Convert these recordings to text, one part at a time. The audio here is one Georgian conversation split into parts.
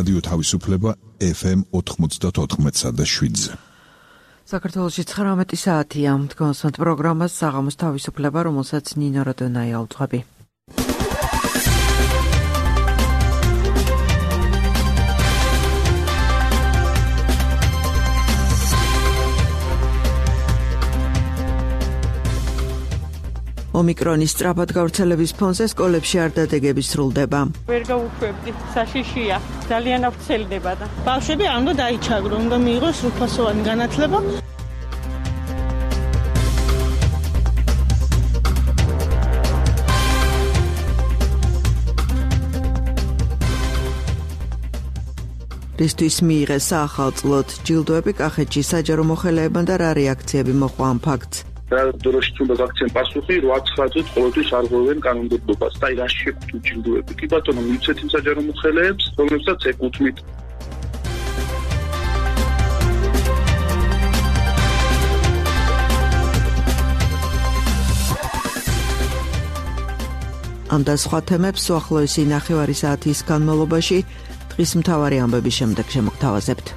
რადიო თავისუფლება FM 94.7-ზე. საქართველოში 19 საათია. მდგომასვანთ პროგრამას საღამოს თავისუფლება, რომელსაც ნინო როდონაია უძღვები. ომიკრონის სწრაფად გავრცელების ფონზე სკოლებში არ დადეგები სრულდება. ვერ გავუშვებდი, საშიშია, ძალიან ავრცელდება და ბავშვები არ უნდა დაიჩაგრონ, უნდა მიიღოს სრულფასოვანი განათლება. რისთვის მიიღეს საახალწლოდ ჯილდოები კახეთში საჯარო მოხელეებმა და რა რეაქციები მოყვა ამ ფაქტს. დროში უნდა გაქცენ პასუხი 8-9 წუთი ყოველთვის არ ღვევენ კანონმდებლობას და რა შეგვთ ჯილდოები. კი ბატონო, მივცეთ იმ საჯარო მოხელეებს, რომლებსაც ეკუთვნით. ამ და სხვა თემებს უახლოესი ნახევარი საათის განმავლობაში დღის მთავარი ამბების შემდეგ შემოგთავაზებთ.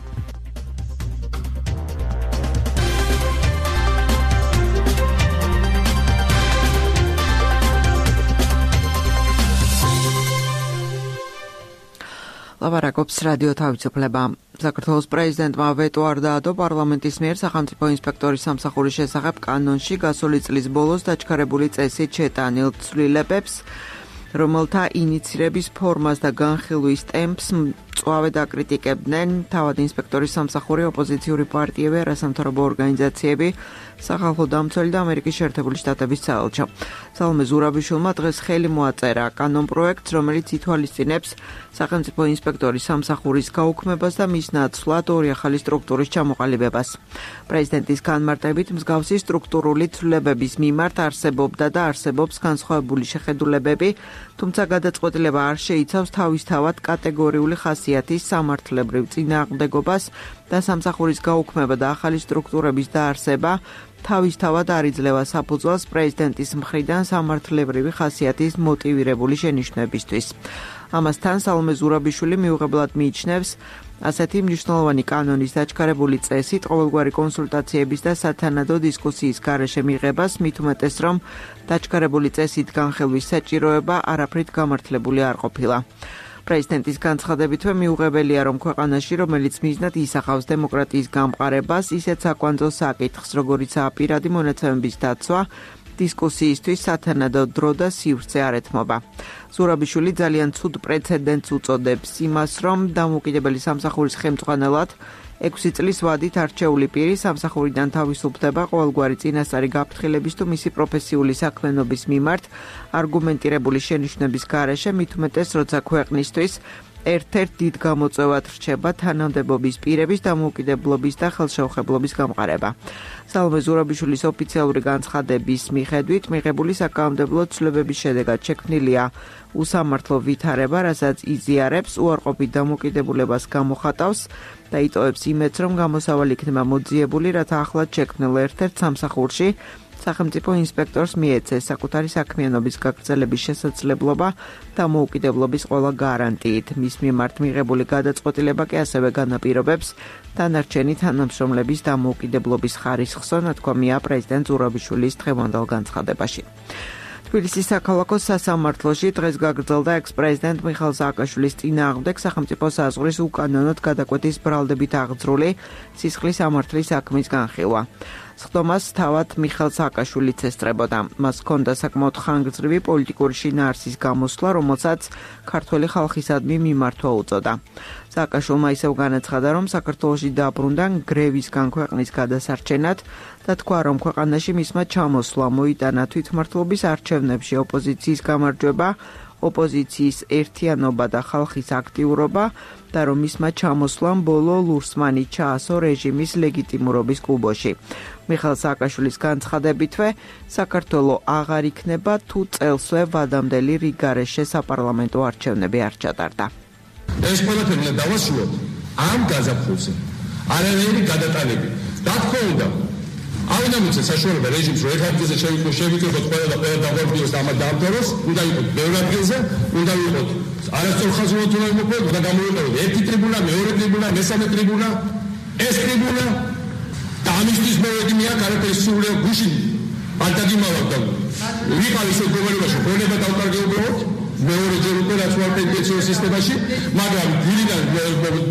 ლაბარაკობს რადიო თავისუფლება. საქართველოს პრეზიდენტმა ვეტო არ დაადო პარლამენტის მიერ სახელმწიფო ინსპექტორის სამსახურის შესახებ კანონში გასული წლის ბოლოს დაჩქარებული წესით შეტანილ ცვლილებებს, რომელთა ინიცირების ფორმას და განხილვის ტემპს მწვავედ აკრიტიკებდნენ თავად ინსპექტორის სამსახური, ოპოზიციური პარტიები, არასამთავრობო ორგანიზაციები, სახალხო დამცველი და ამერიკის შეერთებული შტატების საელჩო. სალომე ზურაბიშვილმა დღეს ხელი მოაწერა კანონპროექტს, რომელიც ითვალისწინებს სახელმწიფო ინსპექტორის სამსახურის გაუქმებას და მის ნაცვლად ორი ახალი სტრუქტურის ჩამოყალიბებას. პრეზიდენტის განმარტებით მსგავსი სტრუქტურული ცვლილებების მიმართ არსებობდა და არსებობს განსხვავებული შეხედულებები, თუმცა გადაწყვეტილება არ შეიცავს თავისთავად კატეგორიული ხასიათის სამართლებრივ წინააღმდეგობას და სამსახურის გაუქმება და ახალი სტრუქტურების დაარსება თავისთავად არ იძლევა საფუძველს პრეზიდენტის მხრიდან სამართლებრივი ხასიათის მოტივირებული შენიშვნებისთვის. ამასთან სალომე ზურაბიშვილი მიუღებლად მიიჩნევს ასეთი მნიშვნელოვანი კანონის დაჩქარებული წესით ყოველგვარი კონსულტაციების და სათანადო დისკუსიის გარეშე მიღებას, მით უმეტეს რომ დაჩქარებული წესით განხილვის საჭიროება არაფრით გამართლებული არ ყოფილა. პრეზიდენტის განცხადებითვე მიუღებელია, რომ ქვეყანაში, რომელიც მიზნად ისახავს დემოკრატიის გამყარებას, ისეთ საკვანძო საკითხს, როგორიცაა პირადი მონაცემების დაცვა, დისკუსიისთვის სათანადო დრო და სივრცე არ ეთმობა. ზურაბიშვილი ძალიან ცუდ პრეცედენტს უწოდებს იმას, რომ დამოუკიდებელი სამსახურის ხელმძღვანელად 6 წლის ვადით არჩეული პირი სამსახურიდან თავისუფლდება ყოველგვარი წინასწარი გაფრთხილების თუ მისი პროფესიული საქმიანობის მიმართ არგუმენტირებული შენიშვნების გარეშე, მით უმეტეს, როცა ქვეყნისთვის ერთ-ერთ დიდ გამოწვევად რჩება თანამდებობის პირების დამოუკიდებლობის და ხელშეუხებლობის გამყარება. სალომე ზურაბიშვილის ოფიციალური განცხადების მიხედვით, მიღებული საკანონმდებლო ცვლილებების შედეგად შექმნილია უსამართლო ვითარება, რასაც იზიარებს, უარყოფით დამოუკიდებულებას გამოხატავს და იტოვებს იმედს, რომ გამოსავალი იქნება მოძიებული, რათა ახლად შექმნილ ერთ-ერთ სამსახურში სახელმწიფო ინსპექტორს მიეცეს საკუთარი საქმიანობის გაგრძელების შესაძლებლობა დამოუკიდებლობის ყველა გარანტიით. მის მიმართ მიღებული გადაწყვეტილება კი ასევე განაპირობებს დანარჩენი თანამშრომლების დამოუკიდებლობის ხარისხსო, ნათქვამია პრეზიდენტ ზურაბიშვილის დღევანდელ განცხადებაში. თბილისის საქალაქო სასამართლოში დღეს გაგრძელდა ექს-პრეზიდენტ მიხეილ სააკაშვილის წინააღმდეგ სახელმწიფო საზღვრის უკანონოდ გადაკვეთის ბრალდებით აღძრული სისხლის ამართლის საქმის განხილვა. სხდომას თავად მიხეილ სააკაშვილიც ესწრებოდა. მას ჰქონდა საკმაოდ ხანგრძლივი პოლიტიკური შინაარსის გამოსვლა, რომელსაც ქართველი ხალხისადმი მიმართვა უწოდა. სააკაშვილმა ისევ განაცხადა, რომ საქართველოში დაბრუნდა გრევისგან ქვეყნის გადასარჩენად და თქვა, რომ ქვეყანაში მისმა ჩამოსვლა მოიტანა თვითმმართველობის არჩევნებში ოპოზიციის გამარჯვება, ოპოზიციის ერთიანობა და ხალხის აქტიურობა და რომ მისმა ჩამოსვლამ ბოლო ლურსმანი ჩაასო რეჟიმის ლეგიტიმურობის კუბოში. მიხეილ სააკაშვილის განცხადებითვე, საქართველო აღარ იქნება თუ წელსვე ვადამდელი რიგარეშე საპარლამენტო არჩევნები არ ჩატარდა. ეს ყველაფერი უნდა დავასრულოთ ამ გაზაფხულზე. არანაირი გადატანები. რა თქმა უნდა, არ დამიცე საშუალება რეჟიმს რომ ერთ ადგილზე შევიკრიბოთ ყველა და ყველა დაგვარდიოს და ამათ დაამთავროს, უნდა იყოს ბევრ ადგილზე, უნდა იყოს არასწორხაზოვნად უნდა იმყოფოს და გამოიყენოს ერთი ტრიბუნა, მეორე ტრიბუნა, მესამე ტრიბუნა, ეს ტრიბუნა და ამისთვის მოვედი მე აქ არაფერი სულიერ გუშინ არ დაგიმალავ და ვიყავ ისე გუბერნატორში ხონება დავკარგე უბრალოდ მეორე ჯერ უკვე რაც ვარ პენსიო სისტემაში, მაგრამ გვირიდან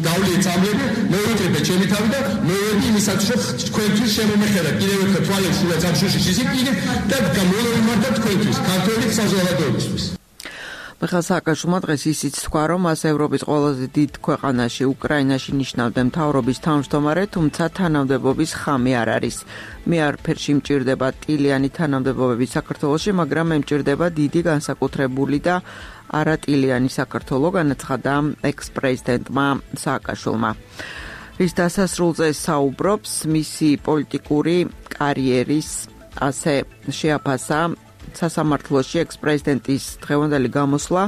დავლი წამლები, მოვიწებე ჩემი თავი და მოვედი იმისათვის რომ თქვენთვის შემომეხედა კიდევ ერთხელ თვალებში და სამშუში შეზიკიდე და გამოვიმართა თქვენთვის ქართული საზოგადოებისთვის. მიხეილ სააკაშვილმა დღეს ისიც თქვა, რომ მას ევროპის ყველაზე დიდ ქვეყანაში უკრაინაში ნიშნავდა მთავრობის თავმჯდომარე, თუმცა თანამდებობის ხამი არ არის. მე არაფერში მჭირდება ტილიანი თანამდებობები საქართველოში, მაგრამ მე მჭირდება დიდი განსაკუთრებული და არატილიანი საქართველო, განაცხადა ექს-პრეზიდენტმა სააკაშვილმა. რის დასასრულზე საუბრობს, მისი პოლიტიკური კარიერის ასე შეაფასა სასამართლოში ექს-პრეზიდენტის დღევანდელი გამოსვლა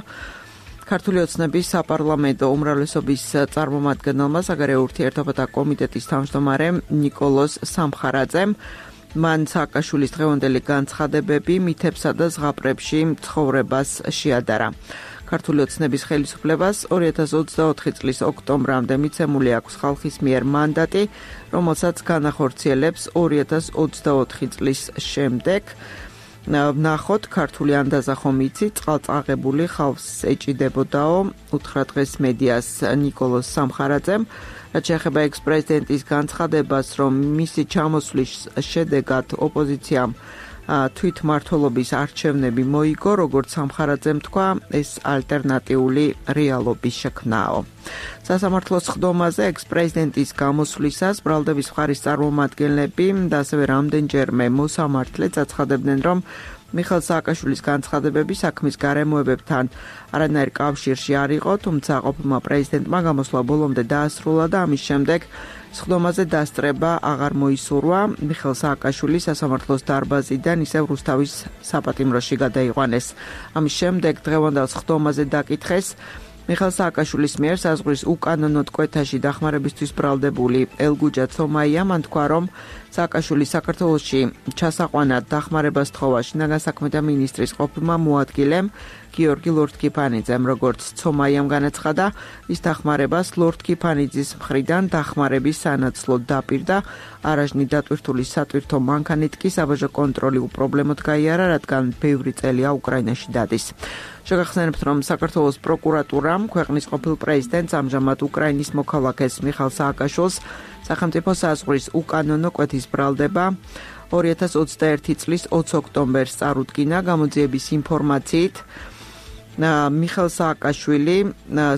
ქართული ოცნების საპარლამენტო უმრავლესობის წარმომადგენელმა საგარეო ურთიერთობათა კომიტეტის თავმჯდომარემ ნიკოლოზ სამხარაძემ მან სააკაშვილის დღევანდელი განცხადებები მითებსა და ზღაპრებში ცხოვრებას შეადარა. ქართული ოცნების ხელისუფლებას 2024 წლის ოქტომბრამდე მიცემული აქვს ხალხის მიერ მანდატი, რომელსაც განახორციელებს 2024 წლის შემდეგ. ნახოთ ქართული ანდაზა ხომ იცი წყალწაღებული ხალხს ეჭიდებოდაო უთხრა დღეს მედიას ნიკოლოზ სამხარაძემ რაც შეეხება ექს-პრეზიდენტის განცხადებას რომ მისი ჩამოსვლის შედეგად ოპოზიციამ თვითმმართველობის არჩევნები მოიგო როგორც სამხარაძემ თქვა ეს ალტერნატიული რეალობის შექმნაო სასამართლოს ხდომაზე ექს-პრეზიდენტის გამოსვლისას ბრალდების მხარის წარმომადგენლები და ასევე რამდენჯერმე მოსამართლე აცხადებდნენ რომ მიხეილ სააკაშვილის განცხადებები საქმის გარემოებებთან არანაირ კავშირში არ იყო, თუმცა ყოფილმა პრეზიდენტმა გამოსვლა ბოლომდე დაასრულა და ამის შემდეგ სხდომაზე დასწრება აღარ მოისურვა. მიხეილ სააკაშვილი სასამართლოს დარბაზიდან ისევ რუსთავის საპატიმროში გადაიყვანეს. ამის შემდეგ დღევანდელ სხდომაზე დაკითხეს მიხეილ სააკაშვილის მიერ საზღვრის უკანონოდ კვეთაში დახმარებისთვის ბრალდებული ელგუჯა ცომაია მან თქვა რომ სააკაშვილი საქართველოში ჩასაყვანად დახმარებას თხოვა შინაგან საქმეთა მინისტრის ყოფილმა მოადგილემ გიორგი ლორთქიფანიძემ როგორც ცომაიამ განაცხადა ის დახმარებას ლორთქიფანიძის მხრიდან დახმარების სანაცვლოდ დაპირდა არაჟნი დატვირთული სატვირთო მანქანით კი საბაჟო კონტროლი უპრობლემოდ გაიარა რადგან ბევრი წელია უკრაინაში დადის შეგახსენებთ რომ საქართველოს პროკურატურამ ქვეყნის ყოფილ პრეზიდენტს ამჟამად უკრაინის მოქალაქეს მიხეილ სააკაშვილს სახელმწიფო საზღვრის უკანონო კვეთის ბრალდება 2021 წლის 20 ოქტომბერს წარუდგინა გამოძიების ინფორმაციით მიხეილ სააკაშვილი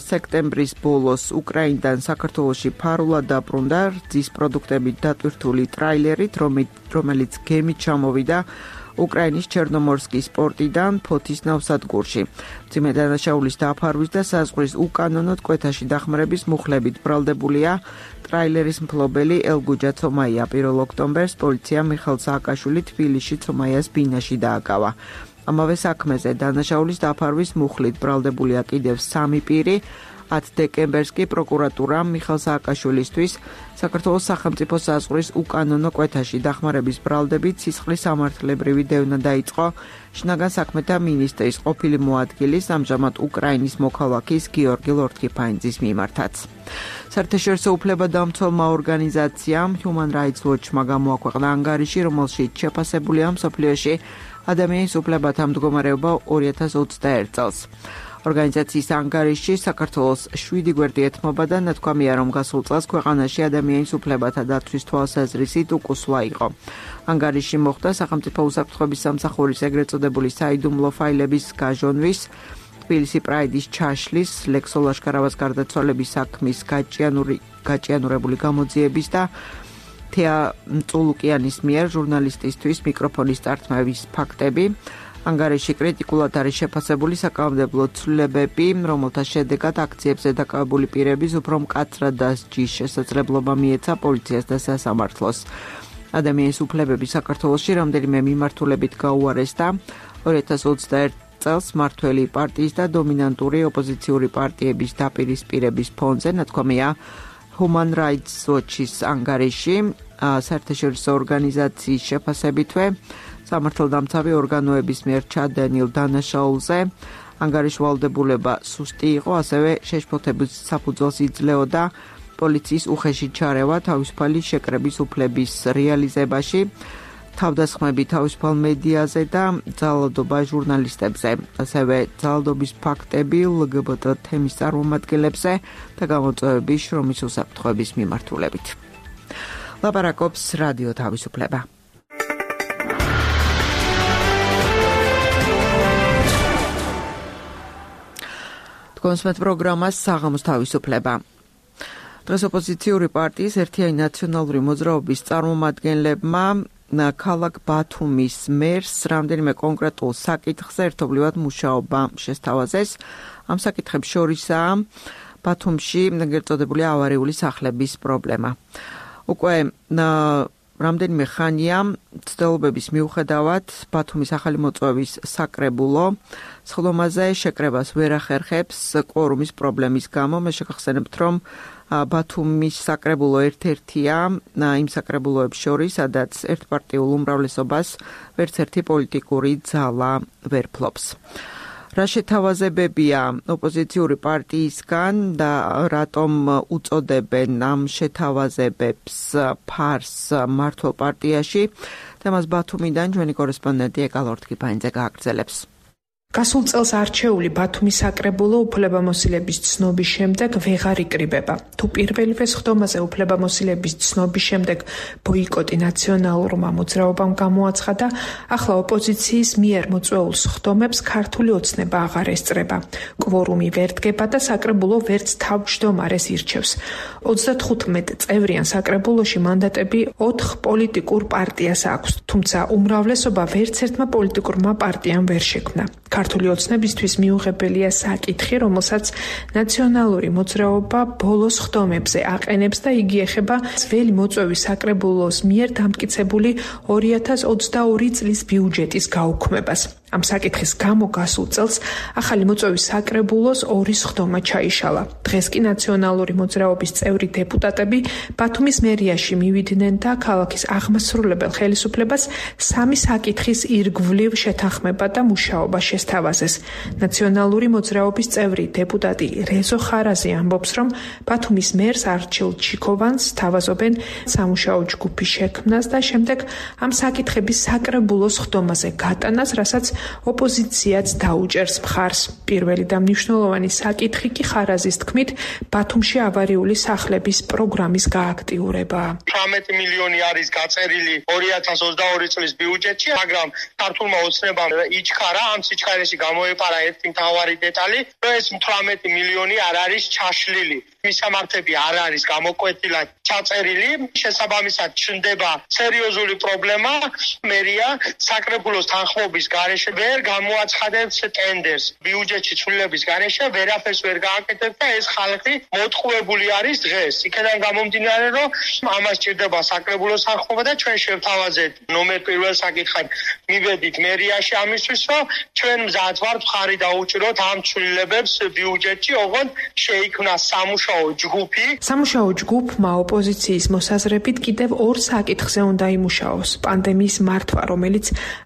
სექტემბრის ბოლოს უკრაინიდან საქართველოში ფარულად დაბრუნდა რძის პროდუქტებით დატვირთული ტრაილერით რომელიც გემით ჩამოვიდა უკრაინის ჩერნომორსკის პორტიდან ფოთის ნავსადგურში. მძიმე დანაშაულის დაფარვის და საზღვრის უკანონოდ კვეთაში დახმარების მუხლებით ბრალდებულია ტრაილერის მფლობელი ელგუჯა ცომაია 1 ოქტომბერს პოლიციამ მიხეილ სააკაშვილი თბილისში ცომაიას ბინაში დააკავა. ამავე საქმეზე დანაშაულის დაფარვის მუხლით ბრალდებულია კიდევ 3 პირი 10 დეკემბერს კი პროკურატურამ მიხეილ სააკაშვილისთვის საქართველოს სახელმწიფო საზღვრის უკანონო კვეთაში დახმარების ბრალდებით სისხლის სამართლებრივი დევნა დაიწყო შინაგან საქმეთა მინისტრის ყოფილი მოადგილის ამჟამად უკრაინის მოქალაქის გიორგი ლორთქიფანიძის მიმართაც. საერთაშორისო უფლებადამცველმა ორგანიზაციამ Human Rights Watch-მა გამოაქვეყნა ანგარიში, რომელშიც შეფასებულია მსოფლიოში ადამიანის უფლებათა მდგომარეობა 2021 წელს. ორგანიზაციის ანგარიში საქართველოს 7 გვერდი ეთმობა და ნათქვამია რომ გასულ წელს ქვეყანაში ადამიანის უფლებათა დაცვის თვალსაზრისით უკუსვლა იყო. ანგარიში მოხდა სახელმწიფო უსაფრთხოების სამსახურის ეგრეთ წოდებული საიდუმლო ფაილების გაჟონვის, თბილისი პრაიდის ჩაშლის, ლექსო ლაშქარავას გარდაცვალების საქმის გაჭიანურებული გამოძიების და თეა მწულუკიანის მიერ ჟურნალისტისთვის მიკროფონის წართმევის ფაქტები. ანგარიში კრიტიკულად არის შეფასებული საკანონმდებლო ცვლილებები, რომელთა შედეგად აქციებზე დაკავებული პირების უფრო მკაცრად დასჯის შესაძლებლობა მიეცა პოლიციას და სასამართლოს. ადამიანის უფლებები საქართველოში რამდენიმე მიმართულებით გაუარეს და 2021 წელს მმართველი პარტიის და დომინანტური ოპოზიციური პარტიების დაპირისპირების ფონზე ნათქვამია Human Rights Watch-ის ანგარიში საერთაშორისო ორგანიზაციის შეფასებითვე სამართალდამცავი ორგანოების მიერ ჩადენილ დანაშაულზე ანგარიშვალდებულება სუსტი იყო, ასევე შეშფოთების საფუძველს იძლეოდა პოლიციის უხეში ჩარევა თავისუფალი შეკრების უფლების რეალიზებაში, თავდასხმები თავისუფალ მედიაზე და ძალადობა ჟურნალისტებზე, ასევე ძალადობის ფაქტები LGBT თემის წარმომადგენლებზე და გამოწვევები შრომის უსაფრთხოების მიმართულებით. ლაპარაკობს რადიო თავისუფლება. კონსმეთ პროგრამას საღამოს თავისუფლება. დღეს ოპოზიციური პარტიის ერთიანი ნაციონალური მოძრაობის წარმომადგენლებმა ქალაქ ბათუმის მერს რამდენიმე კონკრეტულ საკითხზე ერთობლივად მუშაობა შესთავაზეს. ამ საკითხებს შორისაა ბათუმში გერწოდებული ავარიული სახლების პრობლემა. უკვე რამდენიმე ხანია ცდილობების მიუხედავად ბათუმის ახალი მოწვევის საკრებულო სხდომაზე შეკრებას ვერ ახერხებს კვორუმის პრობლემის გამო. მე შეგახსენებთ, რომ ბათუმის საკრებულო ერთ-ერთია იმ საკრებულოებს შორის, სადაც ერთპარტიულ უმრავლესობას ვერც ერთი პოლიტიკური ძალა ვერ ფლობს. რა შეთავაზებებია ოპოზიციური პარტიისგან და რატომ უწოდებენ ამ შეთავაზებებს ფარს მართლ პარტიაში? თემას ბათუმიდან ჩვენი კორესპონდენტი ეკალ ორთქიფანიძე გააგრძელებს. გასულ წელს არჩეული ბათუმის საკრებულო უფლებამოსილების ცნობის შემდეგ ვეღარ იკრიბება. თუ პირველივე სხდომაზე უფლებამოსილების ცნობის შემდეგ ბოიკოტი ნაციონალურმა მოძრაობამ გამოაცხადა, ახლა ოპოზიციის მიერ მოწვეულ სხდომებს ქართული ოცნება აღარ ესწრება. კვორუმი ვერ დგება და საკრებულო ვერც თავმჯდომარეს ირჩევს. 35 წევრიან საკრებულოში მანდატები 4 პოლიტიკურ პარტიას აქვს, თუმცა უმრავლესობა ვერც ერთმა პოლიტიკურმა პარტიამ ვერ შექმნა. ქართული ოცნებისთვის მიუღებელია საკითხი, რომელსაც ნაციონალური მოძრაობა ბოლო სხდომებზე აყენებს და იგი ეხება ძველი მოწვევის საკრებულოს მიერ დამტკიცებული 2022 წლის ბიუჯეტის გაუქმებას. ამ საკითხის გამო გასულ წელს ახალი მოწვევის საკრებულოს 2 სხდომა ჩაიშალა. დღეს კი ნაციონალური მოძრაობის წევრი დეპუტატები ბათუმის მერიაში მივიდნენ და ქალაქის აღმასრულებელ ხელისუფლებას 3 საკითხის ირგვლივ შეთანხმება და მუშაობა შესთავაზეს. ნაციონალური მოძრაობის წევრი დეპუტატი რეზო ხარაზი ამბობს, რომ ბათუმის მერს არჩილ ჩიქოვანს თავაზობენ სამუშაო ჯგუფის შექმნას და შემდეგ ამ საკითხების საკრებულოს სხდომაზე გატანას, რასაც ოპოზიციაც დაუჭერს მხარს. პირველი და მნიშვნელოვანი საკითხი კი ხარაზის თქმით ბათუმში ავარიული სახლების პროგრამის გააქტიურება. 18 მილიონი არის გაწერილი 2022 წლის ბიუჯეტში, მაგრამ ქართულმა ოცნებამ იჩქარა, ამ სიჩქარეში გამოეპარა ერთი მთავარი დეტალი, რომ ეს 18 მილიონი არ არის ჩაშლილი. მისამართები არ არის გამოკვეთილად ჩაწერილი, შესაბამისად ჩნდება სერიოზული პრობლემა. მერია საკრებულოს თანხმობის გარეშე ვერ გამოაცხადებს ტენდერს. ბიუჯეტში ცვლილების გარეშე ვერაფერს ვერ გააკეთებს და ეს ხალხი მოტყუებული არის დღეს. იქიდან გამომდინარე, რომ ამას ჭირდება საკრებულოს თანხმობა და ჩვენ შევთავაზეთ ნომერ პირველ საკითხად მივედით მერიაში ამისთვის, რომ ჩვენ მზად ვართ მხარი დაუჭიროთ ამ ცვლილებებს ბიუჯეტში, ოღონდ შეიქმნა სამუშაო ჯგუფი. სამუშაო ჯგუფმა ოპოზიციის მოსაზრებით კიდევ 2 საკითხზე უნდა იმუშაოს. პანდემიის მართვა, რომელიც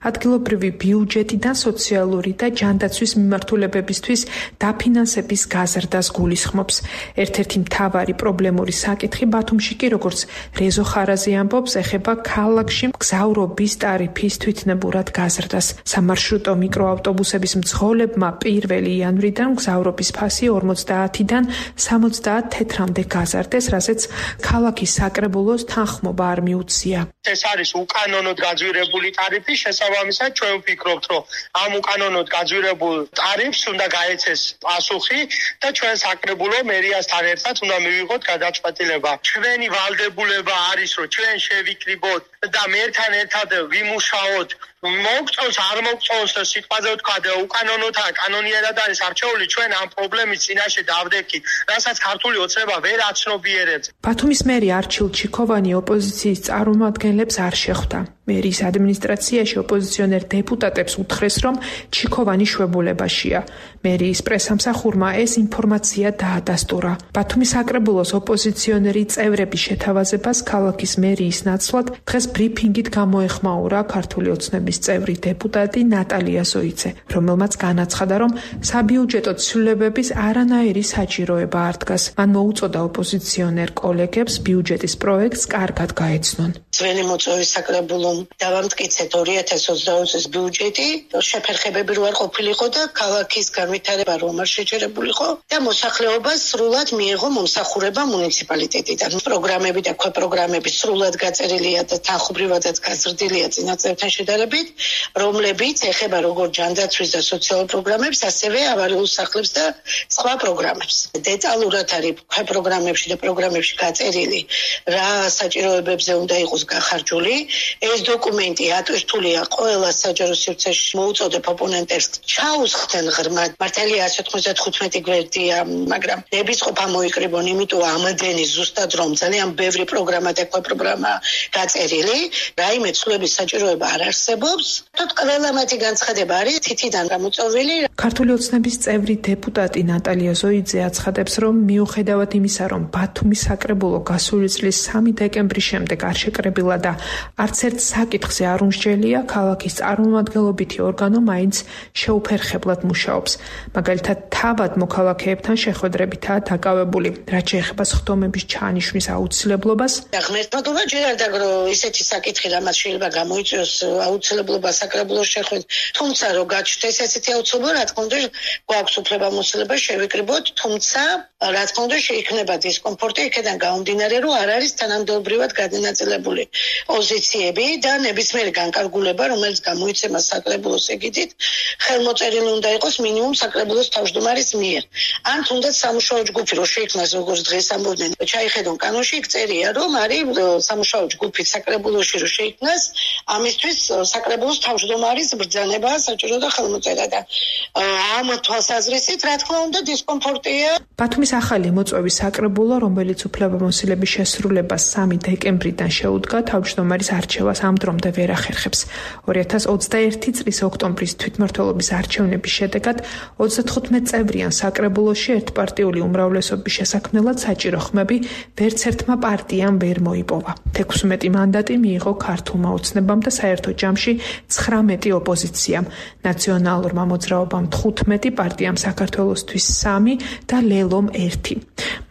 ადგილობრივი ბიუჯეტიდან სოციალური და ჯანდაცვის მიმართულებებისთვის დაფინანსების გაზრდას გულისხმობს. ერთ-ერთი მთავარი პრობლემური საკითხი ბათუმში კი, როგორც რეზო ხარაზი ამბობს, ეხება ქალაქში მგზავრობის ტარიფის თვითნებურად გაზრდას. სამარშრუტო მიკროავტობუსების მძღოლებმა 1 იანვრიდან მგზავრობის ფასი 50-დან 70 თეთრამდე გაზარდეს, რასაც ქალაქის საკრებულოს თანხმობა არ მიუწია. ეს არის უკანონოდ გაძვირებული ტარიფი, შესაბამისად ჩვენ ვფიქრობთ, რომ ამ უკანონოდ გაძვირებულ ტარიფს უნდა გაეცეს პასუხი და ჩვენ საკრებულო მერიასთან ერთად უნდა მივიღოთ გადაწყვეტილება. ჩვენი ვალდებულება არის, რომ ჩვენ შევიკრიბოთ და მერთან ერთად ვიმუშაოთ. მოგწონს არ მოგწონს სიტყვაზე ვთქვა და უკანონოთა კანონიერად არის არჩეული, ჩვენ ამ პრობლემის წინაშე დავდექით, რასაც ქართული ოცნება ვერ აცნობიერებს. ბათუმის მერი არჩილ ჩიქოვანი ოპოზიციის წარმომადგენლებს არ შეხვდა. მერის ადმინისტრაციაში ოპოზიციონერ დეპუტატებს უთხრეს, რომ ჩიქოვანი შვებულებაშია. მერის პრესამსახურმა ეს ინფორმაცია დაადასტურა. ბათუმის საკრებულოს ოპოზიციონერი წევრების შეთავაზებას ქალაქის მერიის ნაცვლად დღეს ბრიფინგით გამოეხმაურა ქართული ოცნების წევრი დეპუტატი ნატალია ზოიცე, რომელმაც განაცხადა, რომ საბიუჯეტო ცვლილებების არანაირი საჭიროება არ დგას. მან მოუწოდა ოპოზიციონერ კოლეგებს ბიუჯეტის პროექტს კარგად გაეცნონ. ძველი მოწვევის საკრებულომ დავამტკიცეთ 2020 წლის ბიუჯეტი, შეფერხებები რო არ ყოფილიყო და ქალაქის განვითარება რომ არ შეჩერებულიყო და მოსახლეობას სრულად მიიღო მომსახურება მუნიციპალიტეტიდან. პროგრამები და ქვეპროგრამები სრულად გაწერილია და თანხმობრივადაც გაზრდილია წინაწევთან შედარებით, რომლებიც ეხება როგორც ჯანდაცვის და სოციალურ პროგრამებს, ასევე ავარიულ სახლებს და სხვა პროგრამებს. დეტალურად არის ქვეპროგრამებში და პროგრამებში გაწერილი, რა საჭიროებებზე უნდა იყოს გახარჯული. ეს დოკუმენტი ატვირთულია ყველა საჯარო სივრცეში. მოუწოდებ ოპონენტებს ჩაუსხდნენ ღრმად. მართალია 195 გვერდია, მაგრამ ნებისყოფა მოიკრიბონ, იმიტომ ამდენი ზუსტად რომ ძალიან ბევრი პროგრამა და პროგრამა გაწერილი, რაიმე ცვლილების საჭიროება არ არსებობს. თოთ ყველა მათი განცხადება არის თითიდან გამოწვეული. ქართული ოცნების წევრი დეპუტატი ნატალია ზოიძე აცხადებს, რომ მიუხედავად იმისა, რომ ბათუმის საკრებულო გასული წლის 3 დეკემბრის შემდეგ არ შეკრებილა და არც ერთ საკითხზე არ უმსჯელია, ქალაქის წარმომადგენლობითი ორგანო მაინც შეუფერხებლად მუშაობს. მაგალითად, თავად მოქალაქეებთან შეხვედრებითაა დაკავებული, რაც შეეხება სხდომების ჩაანიშნვის აუცილებლობას. ღმერთმადობა ჯერ არ დაგრო ისეთი საკითხი, რამაც შეიძლება გამოიწვიოს აუცილებლობა საკრებულოს შეხვედრა. თუმცა რო გაჩნდეს ესეთი აუცილებლობა, რა თქმა უნდა, გვაქვს უფლებამოსილება შევიკრიბოთ, თუმცა რა თქმა უნდა შეიქმნება დისკომფორტი იქიდან გამომდინარე, რომ არ არის თანამდებობრივად გადანაწილებული პოზიციები და ნებისმიერი განკარგულება, რომელიც გამოიცემა საკრებულოს ეგიდით, ხელმოწერილი უნდა იყოს მინიმუმ საკრებულოს თავმჯდომარის მიერ. ან თუნდაც სამუშაო ჯგუფი რო შეიქმნას, როგორც დღეს ამბობდნენ, ჩაიხედონ კანონში, იქ წერია, რომ არის სამუშაო ჯგუფი საკრებულოში რო შეიქმნას, ამისთვის საკრებულოს თავმჯდომარის ბრძანება საჭირო და ხელმოწერა და ამ თვალსაზრისით, რა თქმა უნდა, დისკომფორტია. ბათუმის ახალი მოწვევის საკრებულო, რომელიც უფლებამოსილების შესრულებას 3 დეკემბრიდან შეუდგა, თავმჯდომარის არჩევას ამ დრომდე ვერ ახერხებს. 2021 წლის ოქტომბრის თვითმმართველობის არჩევნების შედეგად 35 წევრიან საკრებულოში ერთპარტიული უმრავლესობის შესაქმნელად საჭირო ხმები ვერც ერთმა პარტიამ ვერ მოიპოვა. 16 მანდატი მიიღო ქართულმა ოცნებამ და საერთო ჯამში 19 ოპოზიციამ, ნაციონალურმა მოძრაობამ 15, პარტიამ საქართველოსთვის 3 და ლელომ 1.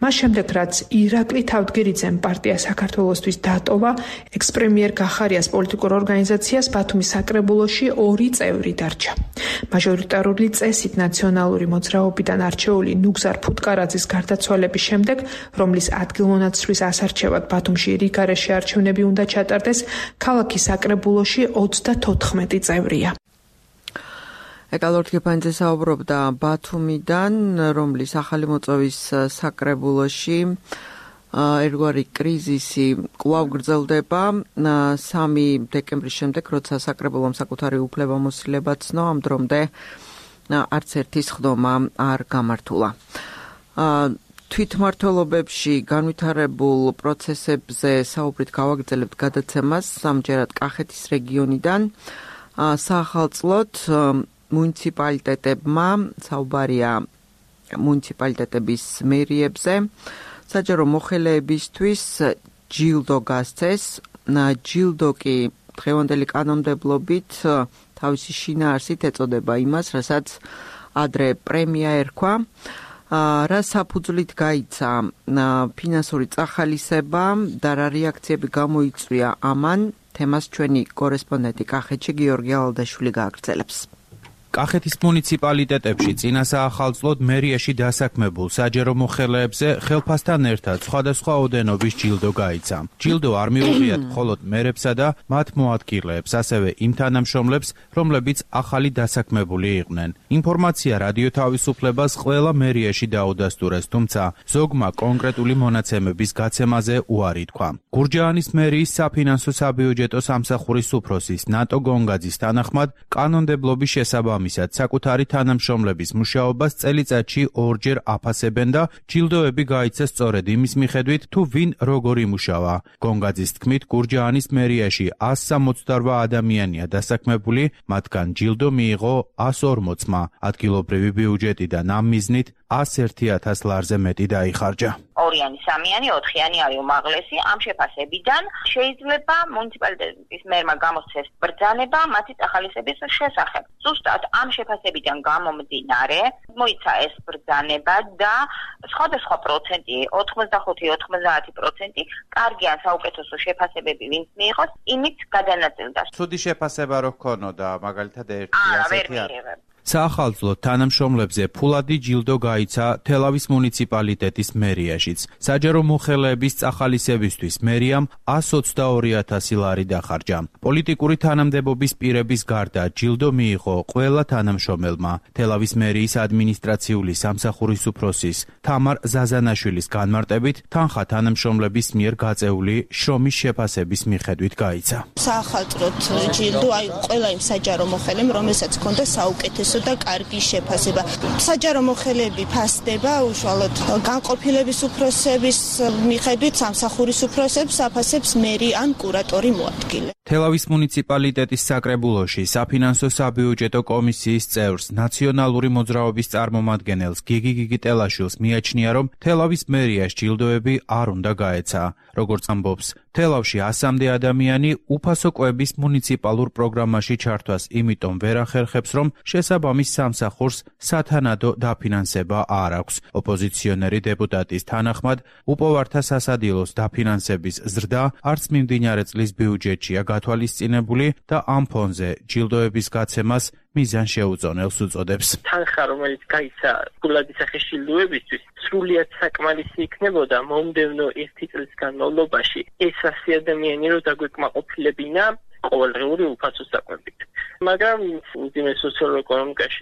მას შემდეგ, რაც ირაკლი თავდგირიძემ პარტია საქართველოსთვის დატოვა, ექს-პრემიერ გახარიას პოლიტიკურ ორგანიზაციას ბათუმის საკრებულოში 2 წევრი დარჩა. მაჟორიტარული წესით ნაციონალური მოძრაობიდან არჩეული ნუგზარ ფუტკარაძის გარდაცვალების შემდეგ, რომლის ადგილმონაცვლის ასარჩევად ბათუმში რიგარეშე არჩევნები უნდა ჩატარდეს, ქალაქის საკრებულოში 34 წევრია. ეკალორთ გეპანიძე საუბრობდა ბათუმიდან, რომლის ახალი მოწვევის საკრებულოში ერთგვარი კრიზისი კვლავ გრძელდება 3 დეკემბრის შემდეგ, როცა საკრებულომ საკუთარი უფლებამოსილება ცნო, ამ დრომდე არც ერთი სხდომა არ გამართულა. თვითმმართველობებში განვითარებულ პროცესებზე საუბრით გავაგრძელებთ გადაცემას ამჯერად კახეთის რეგიონიდან. საახალწლოდ მუნიციპალიტეტებმა საუბარია მუნიციპალიტეტების მერიებზე. საჯარო მოხელეებისთვის ჯილდო გასცეს. ჯილდო კი დღევანდელი კანონმდებლობით თავისი შინაარსით ეწოდება იმას, რასაც ადრე პრემია ერქვა. რა საფუძვლით გაიცა ფინანსური წახალისება და რა რეაქციები გამოიწვია ამან, თემას ჩვენი კორესპონდენტი კახეთში გიორგი ალადაშვილი გააგრძელებს. კახეთის მუნიციპალიტეტებში წინა საახალწლოდ მერიაში დასაქმებულ საჯარო მოხელეებზე ხელფასთან ერთად სხვადასხვა ოდენობის ჯილდო გაიცა. ჯილდო არ მიუღიათ მხოლოდ მერებსა და მათ მოადგილეებს, ასევე იმ თანამშრომლებს, რომლებიც ახალი დასაქმებული იყვნენ. ინფორმაცია რადიო თავისუფლებას ყველა მერიაში დაუდასტურეს, თუმცა ზოგმა კონკრეტული მონაცემების გაცემაზე უარი თქვა. გურჯაანის მერიის საფინანსო საბიუჯეტო სამსახურის უფროსის ნატო გონგაძის თანახმად, კანონმდებლობის შესაბამისად შესაბამისად საკუთარი თანამშრომლების მუშაობას წელიწადში 2-ჯერ აფასებენ და ჯილდოები გაიცა სწორედ იმის მიხედვით, თუ ვინ როგორ იმუშავა. გონგაძის თქმით, გურჯაანის მერიაში 168 ადამიანია დასაქმებული, მათგან ჯილდო მიიღო 140-მა. ადგილობრივი ბიუჯეტიდან ამ მიზნით 101,000 ლარზე მეტი დაიხარჯა. 2-იანი, 3-იანი, 4-იანი არის უმაღლესი. ამ შეფასებიდან შეიძლება მუნიციპალიტეტის მერმა გამოსცეს ბრძანება მათი წახალისების შესახებ. ზუსტად ამ შეფასებიდან გამომდინარე, მოიცა ეს ბრძანება და სხვადასხვა პროცენტი, 85-90% კარგიან საუკეთესო შეფასებები ვინც მიიღოს, იმით გადანაწილდა. ცუდი შეფასება რო ჰქონოდა, მაგალითად ერთი ასეთი არ. საახალწლო თანამშრომლებზე ფულადი ჯილდო გაიცა თელავის მუნიციპალიტეტის მერიაშიც. საჯარო მოხელეების წახალისებისთვის მერიამ 122,000 ლარი დახარჯა. პოლიტიკური თანამდებობის პირების გარდა ჯილდო მიიღო ყველა თანამშრომელმა. თელავის მერიის ადმინისტრაციული სამსახურის უფროსის თამარ ზაზანაშვილის განმარტებით, თანხა თანამშრომლების მიერ გაწეული შრომის შეფასების მიხედვით გაიცა. საახალწლოდ ჯილდო აი ყველა იმ საჯარო მოხელემ, რომელსაც ჰქონდა საუკეთესო და კარგი შეფასება. საჯარო მოხელეები ფასდება უშუალოდ განყოფილების უფროსების მიხედვით სამსახურის უფროსებს აფასებს მერი ან კურატორი მოადგილე. თელავის მუნიციპალიტეტის საკრებულოში საფინანსო საბიუჯეტო კომისიის წევრს ნაციონალური მოძრაობის წარმომადგენელს გიგი გიგიტელაშვილს მიაჩნია, რომ თელავის მერიას ჯილდოები არ უნდა გაეცა. როგორც ამბობს, თელავში 100-მდე ადამიანი უფასო კვების მუნიციპალურ პროგრამაში ჩართვას იმიტომ ვერ ახერხებს, რომ შესაბამის სამსახურს სათანადო დაფინანსება არ აქვს. ოპოზიციონერი დეპუტატის თანახმად, უპოვართა სასადილოს დაფინანსების ზრდა არც მიმდინარე წლის ბიუჯეტშია გათვალისწინებული და ამ ფონზე ჯილდოების გაცემას მიზან შეუწონელს უწოდებს. თანხა, რომელიც გაიცა ფულადი სახის ჯილდოებისთვის, სრულიად საკმარისი იქნებოდა მომდევნო 1 წლის განმავლობაში ეს 100 ადამიანი რო დაგვეკმაყოფილებინა ყოველდღიური უფასო საკვებით. მაგრამ უძიმეს სოციალურ-ეკონომიკაში,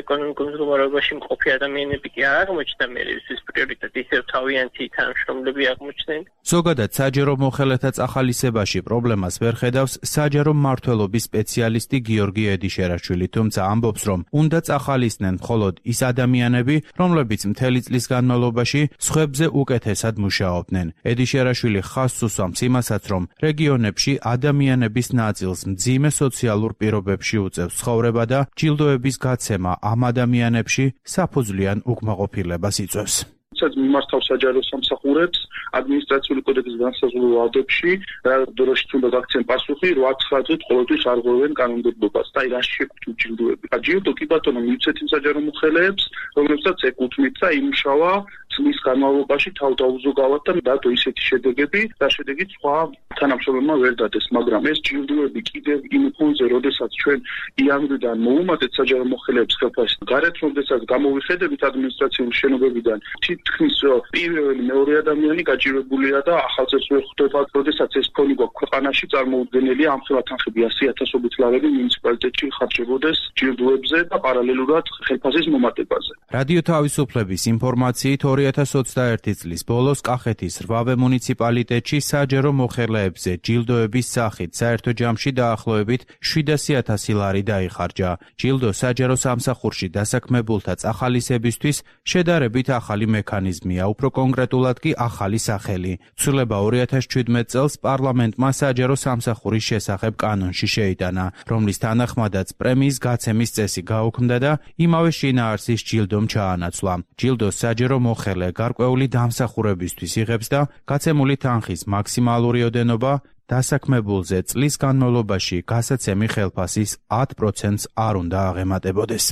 ეკონომიკურ მდგომარეობაში მყოფი ადამიანები კი არ აღმოჩნდა მერიის პრიორიტეტი, ისევ თავიანთი თანამშრომლები აღმოჩნდნენ. ზოგადად საჯარო მოხელეთა წახალისებაში პრობლემას ვერ ხედავს საჯარო მმართველობის სპეციალისტი გიორგი ედიშერაშვილი, თუმცა ამბობს, რომ უნდა წახალისდნენ მხოლოდ ის ადამიანები, რომლებიც მთელი წლის განმავლობაში სხვებზე უკეთესად მუშაობდნენ. ედიშერაშვილი ხაზს უსვამს იმასაც, რომ რეგიონებში ადამიანების ნაწილს მძიმე სოციალურ პირობებში უწევს ცხოვრება და ჯილდოების გაცემა ამ ადამიანებში საფუძვლიან უკმაყოფილებას იწვევს. მიმართავს საჯარო სამსახურებს ადმინისტრაციული კოდექსის განსაზღვრულ ვადებში, რა დროში უნდა გაქცენ პასუხი 8-9 წუთი ყოველთვის არ ღვევენ კანონმდებლობას. და რა შეგვიძლია ჯილდოები. ჯილდო კი ბატონო მივცეთ იმ საჯარო მოხელეებს, რომლებსაც ეკუთვნით და იმუშავა წლის განმავლობაში თავდაუზოგავად და დადო ისეთი შედეგები, და შედეგი სხვა თანამშრომლებმა ვერ დადეს, მაგრამ ეს ჯილდოები კიდევ იმ ფონზე, როდესაც ჩვენ იანვრიდან მოუმატეთ საჯარო მოხელეებს ხელფასს, გარეთ როდესაც გამოვიხედებით ადმინისტრაციული შენობებიდან, თითქმის პირველი მეორე ადამიანი გაჭირებულია და ახალწელს ვერ ხვდება, როდესაც ეს ფონი გვაქვს ქვეყანაში წარმოუდგენელია, ამ ხელა თანხები 100,000-ობით ლარები მუნიციპალიტეტში ხარჯებოდეს ჯილდოებზე და პარალელურად ხელფასის მომატებაზე. რადიო თავისუფლების ინფორმაციით 2021 წლის ბოლოს კახეთის 8 მუნიციპალიტეტში საჯარო მოხელეებზე ჯილდოების სახით საერთო ჯამში დაახლოებით 700,000 ლარი დაიხარჯა. ჯილდო საჯარო სამსახურში დასაქმებულთა წახალისებისთვის შედარებით ახალი მექანიზმია, უფრო კონკრეტულად კი ახალი სახელი. ცვლილება 2017 წელს პარლამენტმა საჯარო სამსახურის შესახებ კანონში შეიტანა, რომლის თანახმადაც პრემიის გაცემის წესი გაუქმდა და იმავე შინაარსის ჯილდომ ჩაანაცვლა. ჯილდოს საჯარო მოხელე გარკვეული დამსახურებისთვის იღებს და გაცემული თანხის მაქსიმალური ოდენობა დასაქმებულზე წლის განმავლობაში გასაცემი ხელფასის 10%-ს არ უნდა აღემატებოდეს.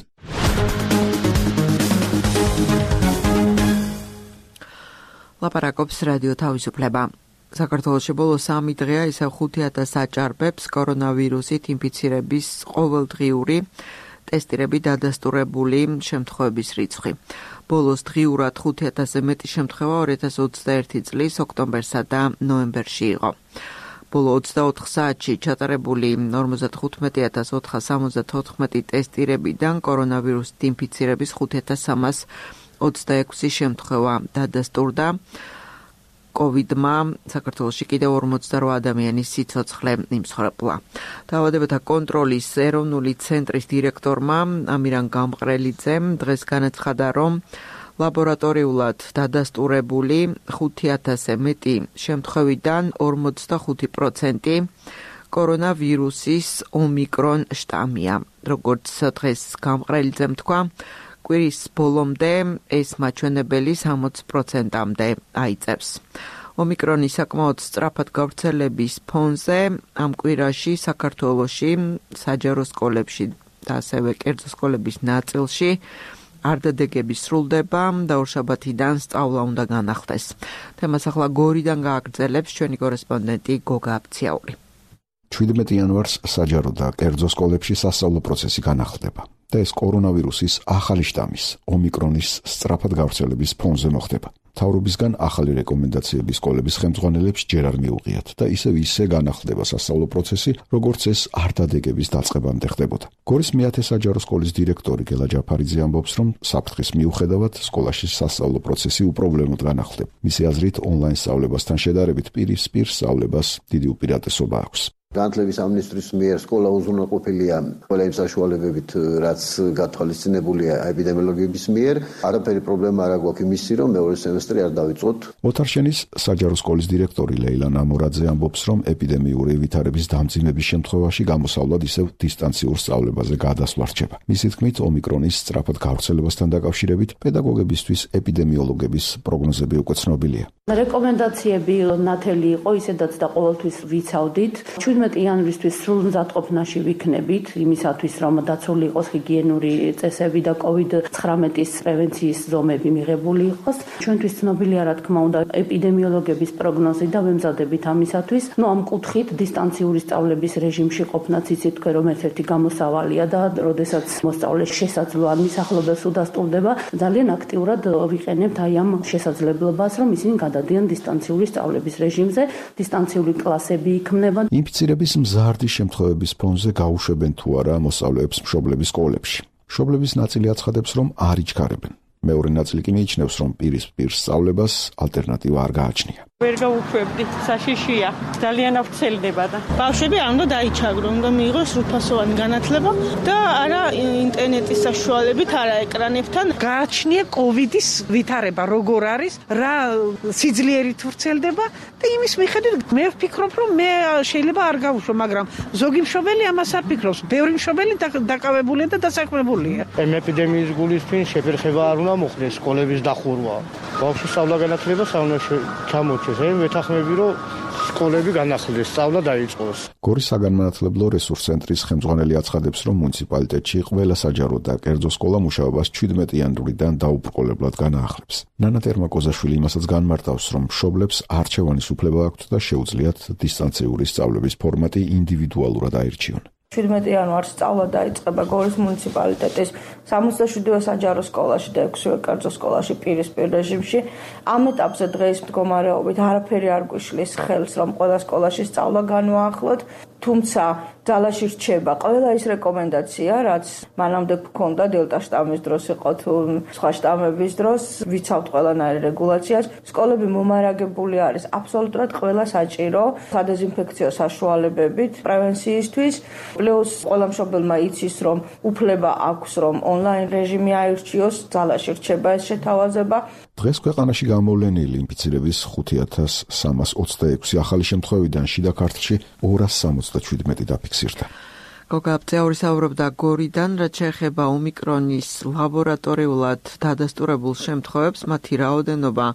ლაპარაკობს რადიო თავისუფლება. საქართველოში ბოლოს 3 დღეა ისევ 5,000 აჭარბებს კორონავირუსით ინფიცირების ყოველდღიური ტესტირები დადასტურებული შემთხვევების რიცხვი. ბოლოს დღიურად 5,000-ზე მეტი შემთხვევა 2021 წლის ოქტომბერსა და ნოემბერში იყო. ბოლო 24 საათში ჩატარებული 55,474 ტესტირებიდან კორონავირუსით ინფიცირების 5,326 შემთხვევა დადასტურდა. COVID-მა საქართველოში კიდევ 48 ადამიანის სიცოცხლე იმსხვრებლა. დაავადებათა კონტროლის ეროვნული ცენტრის დირექტორმა ამირან გამყრელიძემ დღეს განაცხადა, რომ ლაბორატორიულად დადასტურებული 5000-ზე მეტი შემთხვევიდან 45% კორონავირუსის ომიკრონ შტამია. როგორც დღეს გამყრელიძემ თქვა, კვირის ბოლომდე ეს მაჩვენებელი 60%-მდე აიწევს. ომიკრონის საკმაოდ სწრაფად გავრცელების ფონზე ამ კვირაში საქართველოში საჯარო სკოლებში და ასევე კერძო სკოლების ნაწილში არდადეგები სრულდება და ორშაბათიდან სწავლა უნდა განახლდეს. თემას ახლა გორიდან გააგრძელებს ჩვენი კორესპონდენტი გოგა აფციაური. 17 იანვარს საჯარო და კერძო სკოლებში სასწავლო პროცესი განახლდება და ეს კორონავირუსის ახალი შტამის, ომიკრონის სწრაფად გავრცელების ფონზე მოხდება. მთავრობისგან ახალი რეკომენდაციები სკოლების ხელმძღვანელებს ჯერ არ მიუღიათ და ისე განახლდება სასწავლო პროცესი, როგორც ეს არდადეგების დაწყებამდე ხდებოდა. გორის მეათე საჯარო სკოლის დირექტორი გელა ჯაფარიძე ამბობს, რომ საფრთხის მიუხედავად სკოლაში სასწავლო პროცესი უპრობლემოდ განახლდება. მისი აზრით, ონლაინ სწავლებასთან შედარებით პირისპირ სწავლებას დიდი უპირატესობა აქვს. განათლების სამინისტროს მიერ სკოლა უზრუნველყოფილია ყველა იმ საშუალებებით, რაც გათვალისწინებულია ეპიდემიოლოგების მიერ. არაფერი პრობლემა არ აქვს იმისი, რომ მეორე სემესტრი არ დავიწყოთ. ოთარშენის საჯარო სკოლის დირექტორი ლეილა ნამორაძე ამბობს, რომ ეპიდემიური ვითარების დამძიმების შემთხვევაში გამოსავლად ისევ დისტანციურ სწავლებაზე გადასვლა რჩება. მისი თქმით, ომიკრონის სწრაფად გავრცელებასთან დაკავშირებით პედაგოგებისთვის ეპიდემიოლოგების პროგნოზები უკვე ცნობილია. რეკომენდაციები ნათელი იყო, ისედაც და ყოველთვის ვიცავდით. 17 იანვრისთვის სრულ მზადყოფნაში ვიქნებით, იმისათვის, რომ დაცული იყოს ჰიგიენური წესები და COVID-19-ის პრევენციის ზომები მიღებული იყოს. ჩვენთვის ცნობილია, რა თქმა უნდა, ეპიდემიოლოგების პროგნოზი და ვემზადებით ამისათვის. ამ კუთხით დისტანციური სწავლების რეჟიმში ყოფნაც იცით თქვენ, რომ ერთ-ერთი გამოსავალია და როდესაც მოსწავლეს შესაძლოა მისახლობელს უდასტურდება, ძალიან აქტიურად ვიყენებთ აი ამ შესაძლებლობას, რომ ისინი გადადიან დისტანციური სწავლების რეჟიმზე, დისტანციური კლასები იქმნება. ინფიცირების მზარდი შემთხვევების ფონზე გაუშვებენ თუ არა მოსწავლეებს მშობლების სკოლებში. მშობლების ნაწილი აცხადებს, რომ არ იჩქარებენ. მეორე ნაწილი კი მიიჩნევს, რომ პირისპირ სწავლებას ალტერნატივა არ გააჩნია. ვერ გავუშვებდი, საშიშია, ძალიან ავრცელდება და ბავშვები არ უნდა დაიჩაგრონ, უნდა მიიღოს სრულფასოვანი განათლება და არა ინტერნეტის საშუალებით, არა ეკრანებთან. გააჩნია COVID-ის ვითარება, როგორ არის, რა სიძლიერით ვრცელდება და იმის მიხედვით მე ვფიქრობ, რომ მე შეიძლება არ გავუშვო, მაგრამ ზოგი მშობელი ამას არ ფიქრობს. ბევრი მშობელი დაკავებულია და დასაქმებულია. ეპიდემიის გულისხმის შეფერხება არ უნდა მოხდეს, სკოლების დახურვა. ბავშვის სწავლა განათლება საუნდაში ჩამოჩეს. ვეთანხმები, რომ სკოლები განახლდეს, სწავლა დაიწყოს. გორის საგანმანათლებლო რესურს ცენტრის ხელმძღვანელი აცხადებს, რომ მუნიციპალიტეტში ყველა საჯარო და კერძო სკოლა მუშაობას 17 იანვრიდან დაუბრკოლებლად განაახლებს. ნანა ტერმაკოზაშვილი იმასაც განმარტავს, რომ მშობლებს არჩევანის უფლება აქვთ და შეუძლიათ დისტანციური სწავლების ფორმატი ინდივიდუალურად აირჩიონ. 17 იანვარს სწავლა დაიწყება გორის მუნიციპალიტეტის 67-ვე საჯარო სკოლაში და 6-ვე კერძო სკოლაში პირისპირ რეჟიმში. ამ ეტაპზე დღეს მდგომარეობით არაფერი არ გვიშლის ხელს, რომ ყველა სკოლაში სწავლა განვაახლოთ, თუმცა ძალაში რჩება ყველა ის რეკომენდაცია, რაც მანამდე გქონდა დელტა შტამის დროს იყო თუ სხვა შტამების დროს, ვიცავთ ყველანაირ რეგულაციას. სკოლები მომარაგებული არის აბსოლუტურად ყველა საჭირო სადეზინფექციო საშუალებებით პრევენციისთვის. პლუს ყველა მშობელმა იცის, რომ უფლება აქვს, რომ ონლაინ რეჟიმი აირჩიოს, ძალაში რჩება ეს შეთავაზება. დღეს ქვეყანაში გამოვლენილი ინფიცირების 5326 ახალი შემთხვევიდან შიდა ქართლში 277 დაფიქსირდა. გოგა აფციაური საუბრობდა გორიდან, რაც შეეხება ომიკრონის ლაბორატორიულად დადასტურებულ შემთხვევებს, მათი რაოდენობა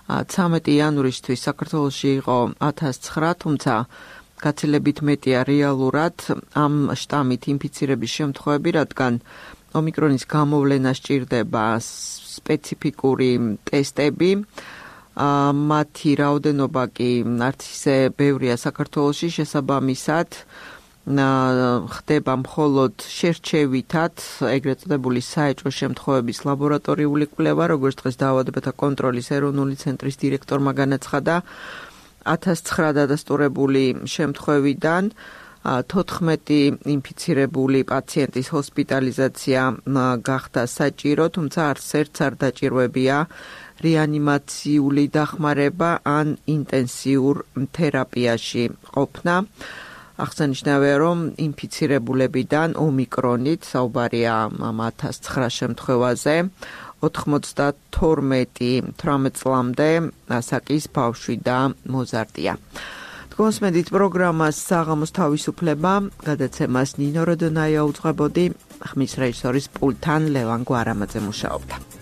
13 იანვრისთვის საქართველოში იყო 1009, თუმცა გაცილებით მეტია რეალურად ამ შტამით ინფიცირების შემთხვევები, რადგან ომიკრონის გამოვლენა სჭირდება სპეციფიკური ტესტები. მათი რაოდენობა კი არც ისე ბევრია საქართველოში, შესაბამისად ხდება მხოლოდ შერჩევითად ეგრეთ წოდებული საეჭვო შემთხვევების ლაბორატორიული კვლევა, როგორც დღეს დაავადებათა კონტროლის ეროვნული ცენტრის დირექტორმა განაცხადა. 1009 დადასტურებული შემთხვევიდან 14 ინფიცირებული პაციენტის ჰოსპიტალიზაცია გახდა საჭირო, თუმცა არც ერთს არ დაჭირვებია რეანიმაციული დახმარება ან ინტენსიურ თერაპიაში ყოფნა. აღსანიშნავია, რომ ინფიცირებულებიდან ომიკრონით საუბარია 1009 შემთხვევაზე, 92 18 წლამდე ასაკის ბავშვი და მოზარდია. თქვენს პროგრამას საღამოს თავისუფლება, გადაცემას ნინო როდონაია უძღვებოდი, ხმის რეჟისორის პულტთან ლევან გვარამაძე მუშაობდა.